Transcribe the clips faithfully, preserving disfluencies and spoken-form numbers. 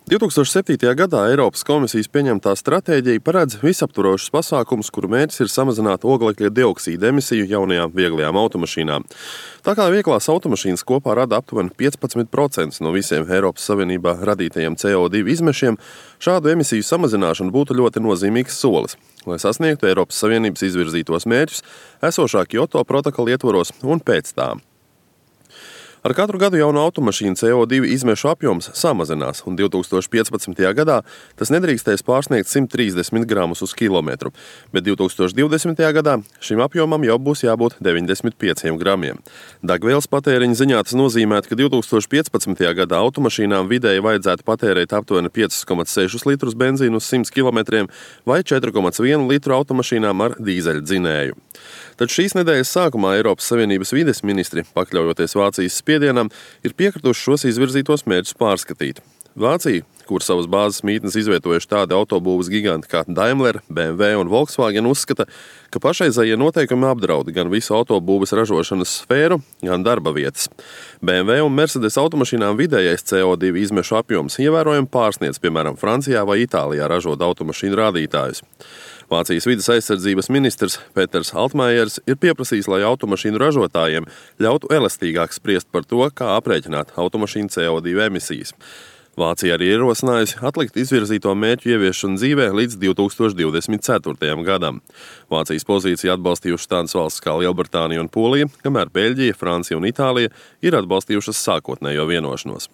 divi tūkstoši septītajā gadā Eiropas komisijas pieņemtā stratēģija paredz visaptvarošus pasākumus, kuru mērķis ir samazināt oglekļa dioksīda emisiju jaunajām vieglajām automašīnām. Tā kā vieglās automašīnas kopā rada aptuveni piecpadsmit procenti no visiem Eiropas Savienībā radītajiem C O divi izmešiem, šādu emisiju samazināšana būtu ļoti nozīmīgs solis, lai sasniegtu Eiropas Savienības izvirzītos mērķus esošā Kyoto protokola ietvaros un pēc tām. Ar katru gadu jaunu automašīnu C O divi izmešu apjoms samazinās, un divi tūkstoši piecpadsmitajā gadā tas nedrīkstēs pārsniegt simt trīsdesmit gramus uz kilometru, bet divi tūkstoši divdesmitajā gadā šim apjomam jau būs jābūt deviņdesmit pieciem gramiem. Degvielas patēriņa ziņā tas nozīmētu, ka divi tūkstoši piecpadsmitajā gadā automašīnām vidēji vajadzētu patērēt aptuveni pieci komats seši litrus benzīnu uz simt kilometriem vai četri komats viens litru automašīnām ar dīzeļdzinēju. Taču šīs nedēļas sākumā Eiropas Savienības vides ministri, pakļaujoties Vācijas spiedienam, ir piekrituši šos izvirzītos mērķus pārskatīt. Vācija, kur savas bāzes mītnes izvietojuši tādi autobūves giganti kā Daimler, B M W un Volkswagen, uzskata, ka pašreizējie noteikumi apdraud gan visu autobūves ražošanas sfēru, gan darba vietas. B M W un Mercedes automašīnām vidējais C O divi izmešu apjoms ievērojami pārsniedz, piemēram, Francijā vai Itālijā ražot automašīnu rādītājus. Vācijas vides aizsardzības ministrs Peters Altmaiers ir pieprasījis, lai automašīnu ražotājiem ļautu elastīgāk spriest par to, kā aprēķināt automašīnu C O divi emisijas. Vācija arī ierosinājusi atlikt izvirzīto mērķu ieviešanu dzīvē līdz divi tūkstoši divdesmit ceturtajam gadam. Vācijas pozīciju atbalstījušas tādas valsts kā Lielbritānija un Polija, kamēr Beļģija, Francija un Itālija ir atbalstījušas sākotnējo vienošanos.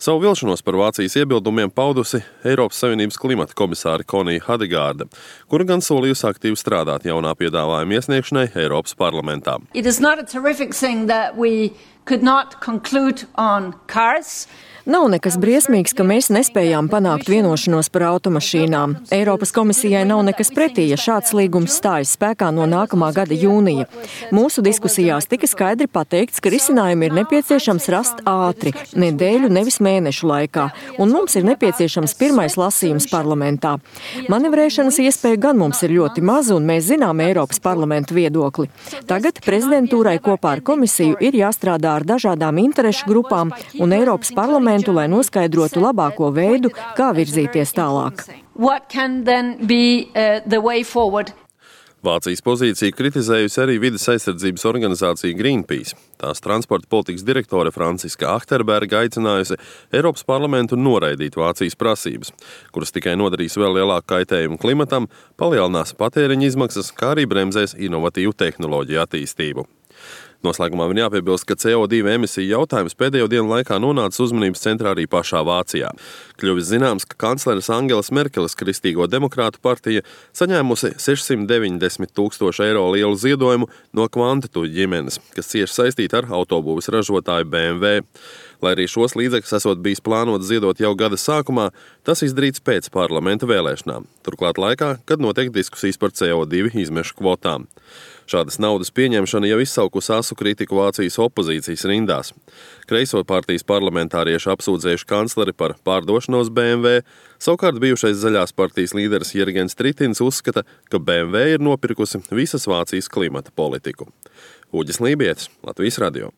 Savu vilšanos par Vācijas iebildumiem paudusi Eiropas Savienības klimata komisāre Konija Hedegārde, kura gan solījusi aktīvi strādāt jaunā piedāvājuma iesniegšanai Eiropas parlamentā. It is not a terrific thing that we could not conclude on cars. Nav nekas briesmīgs, ka mēs nespējām panākt vienošanos par automašīnām. Eiropas komisijai nav nekas pretī, ja šāds līgums stājas spēkā no nākamā gada jūnija. Mūsu diskusijās tika skaidri pateikts, ka risinājumi ir nepieciešams rast ātri, nedēļu, nevis mēnešu laikā, un mums ir nepieciešams pirmais lasījums parlamentā. Manevrēšanas iespēja gan mums ir ļoti maza, un mēs zinām Eiropas parlamentu viedokli. Tagad prezidentūrai kopā ar komisiju ir jāstrādā ar dažādām interešu grupām un Eiropas parlamentu, lai noskaidrotu labāko veidu, kā virzīties tālāk. Be, uh, Vācijas pozīciju kritizējusi arī vides aizsardzības organizācija Greenpeace. Tās transporta politikas direktore Franciska Achterberga aicinājusi Eiropas parlamentu noraidīt Vācijas prasības, kuras tikai nodarīs vēl lielāku kaitējumu klimatam, palielinās patēriņa izmaksas, kā arī bremzēs inovatīvu tehnoloģiju attīstību. Noslēgumā man jāpiebilst, ka C O divi emisiju jautājums pēdējo dienu laikā nonāca uzmanības centrā arī pašā Vācijā. Kļuvis zināms, ka kancleres Angelas Merkeles Kristīgo demokrātu partija saņēmusi sešsimt deviņdesmit tūkstošu eiro lielu ziedojumu no Kvantitu ģimenes, kas cieši saistīta ar autobūves ražotāju B M W. Lai arī šos līdzekļus esot bijis plānots ziedot jau gada sākumā, tas izdarīts pēc parlamenta vēlēšanām, turklāt laikā, kad notiek diskusijas par C O divi izmešu kvotām. Šādas naudas pieņemšana jau izsaukusi asu kritiku Vācijas opozīcijas rindās. Kreiso partijas parlamentārieši apsūdzējuši kancleri par pārdošanos B M W, savukārt bijušais Zaļās partijas līderis Jurgens Tritins uzskata, ka B M W ir nopirkusi visas Vācijas klimata politiku. Uģis Lībietis, Latvijas radio.